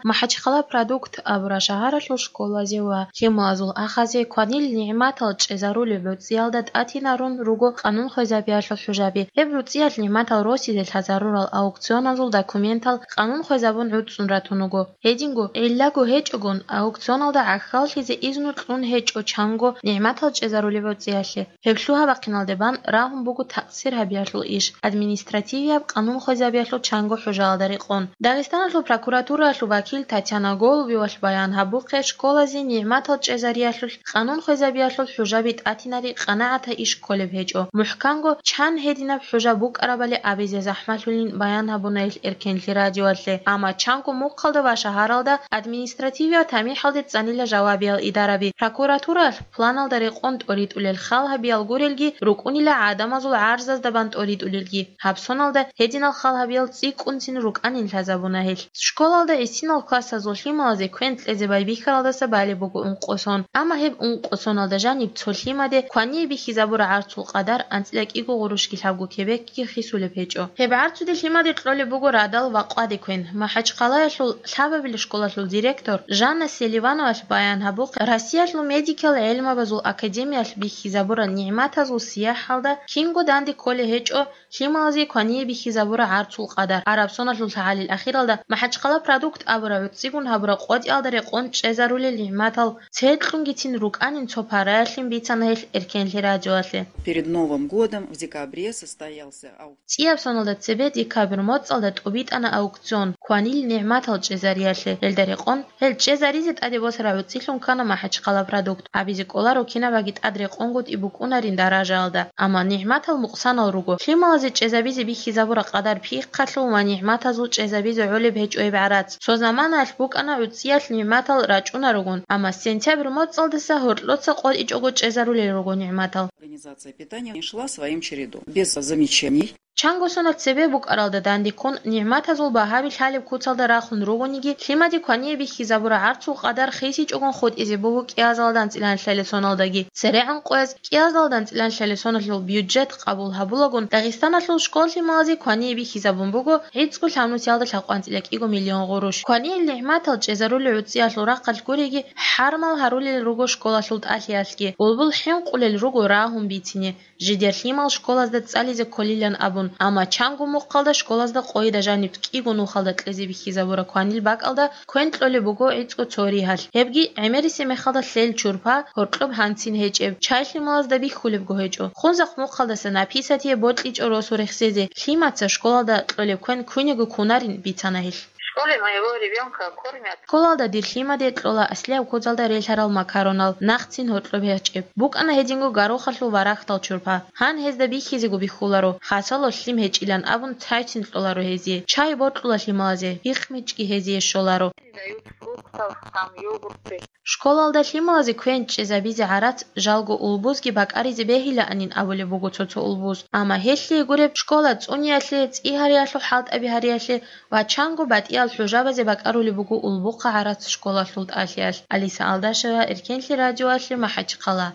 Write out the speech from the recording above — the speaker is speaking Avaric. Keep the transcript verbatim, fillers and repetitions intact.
МахӀачхъала «Продукт» абураб шагьаралъул школазе ва лъималазул ахазе кванил нигӀматал чӀезарулеб гӀуцӀиялда тӀатинарун руго къанун хвезабиялъул хӀужаби. Гьеб гӀуцӀиялъ нигӀматал росизе лъазарурал аукционазул документал къанун хвезабун гӀуцӀун ратун руго. Гьединго, гӀиллаго гьечӀогун, аукционалда гӀахьаллъизе изну кьун гьечӀо чанго нигӀматал чӀезарулеб гӀуцӀиялъе. Гьеб лъугьа-бахъиналде бан рагьун буго такъсир гьабиялъул иш, административияб къанун хвезабиялъул чанго хӀужаялда рекъон. Дагъистаналъул прокуратураялъул вакил Татьяна Голубевалъ баян гьабухъе, школазе нигӀматал чӀезариялъулъ къанун хвезабиялъул хӀужаби тӀатинари къанагӀатаб иш кколеб гьечӀо. МухӀканго, чан гьединаб хӀужа букӀарабали абизе захӀмалъулин баян гьабуна гьел Эркенлъи радиоялъе. Амма чанго мухъалда ва шагьаралда административиял тамихӀалде цӀанила жавабиял идараби. Прокуратураялъ планалда рекъон тӀоритӀулел хал гьабиял гурелги, рукӀунила гӀадамазул гӀарзазда бан тӀоритӀулелги. Гьаб соналда гьединал хал гьабиял цӀикӀкӀунцин рукӀанин лъазабуна гьел. Школалда гӀисинал классазул лъималазе квен кьезе байбихьаралдаса балеб буго ункъо сон. Амма гьеб ункъо соналда жаниб цо лъимаде квание бихьизабураб гӀарцул къадар анцӀила кӀиго гъурущги лъабго кебекги хисулеб гьечӀо. Гьеб гӀарцуде лъимаде кьолеб буго радал ва къваде квен. МахӀачхъалаялъул лъабабилеб школалъул директор Жанна Селивановалъ баян гьабухъе, Россиялъул медикал гӀелмабазул академиялъ бихьизабураб нигӀматазул сияхӀалда кинго данде кколеб гьечӀо лъималазе квание бихьизабураб гӀарцул къадар. Гьаб соналъул лъагӀалил ахиралда МахӀачхъала «Продукт» абураб гӀуцӀигун гьабураб къотӀиялда рекъон чӀезарулел нигӀматал церкьунгицин рукӀанин цо параялъин бицана гьел Эркенлъи радиоялъе. Перед Новым годом в декабре состоялся аукцион. ЦӀияб соналда цебе декабрь моцӀалда тӀубитӀана аукцион кванил нигӀматал чӀезариялъе. Гьелда рекъон гьел чӀезаризе тӀаде босараб гӀуцӀилъун ккана МахӀачхъала «Продукт». Абизе кӀоларо кинабаги тӀад рекъонгутӀи букӀунарин даражаялда. Амма нигӀматал мукъсанал руго. Лъималазе чӀезабизе бихьизабураб къадар пихъалъул ва нигӀматазул чӀезабизе гӀолеб гьечӀо гьеб гӀарац. Цо заманаялъ букӀана гӀуцӀиялъ нигӀматал рачӀунаругун, амма сентябрь моцӀалдаса гьоркьоца къотӀичӀого чӀезарулел руго нигӀматал. Организация питания шла своим чередом, без замечаний. Чанго сонал цебе букӀаралда дандеккун, нигӀматазул багьаби лъалеб куцалда рахун ругониги, лъимаде квание бихьизабураб гӀарцул къадар хисичӀогун хутӀизе буго кӀиазалда анцӀила лъалел соналдаги. ЦерегӀан къояз кӀиазалда анцӀила лъалел соналъул бюджет къабул гьабулагун, Дагъистаналъул школ-лъималазе квание бихьизабун буго гӀицӀго лъабнусиялда лъабкъанцӀила кӀиго миллион гъурущ. Кванил нигӀматал чӀезарулел гӀуцӀиялъул рахъалъ гуриги, хӀармал гьарулел руго школалъул тӀалъиялъги, улбул хӀинкъулел руго рагьун бицине. Жидер лъимал школазда цӀализе кколилан абун, амма чанго мухъалда школазда къойда жаниб кӀиго нухалда кьезе бихьизабураб кванил бакӀалда квен кьолеб буго гӀицӀго цо ригьалъ. Гьебги гӀемерисеб мехалда лъел чурпа гьоркьоб гьанцин гьечӀеб, чай лъималазда бихьулебго гьечӀо. Хунзахъ мухъалдаса написатие бокьичӀо росу рехсезе, лъимаца школалда кьолеб квен квинего кунарин бицана гьелъ. В школе моего ребёнка кормят. Школалда дир лъимаде кьола аслияб куцалда релълъарал макаронал, нахъцин гьоркьоб гьечӀеб. БукӀана гьединго горохалъул варагьдал чурпа. Гьан гьезда бихьизего бихьуларо, хасало лъим гьечӀилан абун цайцин кьоларо гьезие. Чай бокьула лъималазе, пихъмичӀги гьезие щоларо. Дают фруктов, там, йогурты. Школалда лъималазе квен чӀезабизе гӀарац жалго улбузги бакӀаризе бегьилаанин абулеб буго цо-цо улбуз. Амма гьелъие гуреб, школа цӀуниялъе, цӀи гьариялъул хӀалтӀаби гьариялъе ва чанго батӀиял хӀужабазе бакӀарулеб буго улбухъа гӀарац школалъул тӀалъиялъ. Алиса Алдашева, Эркенлъи радиоялъе, МахӀачхъала.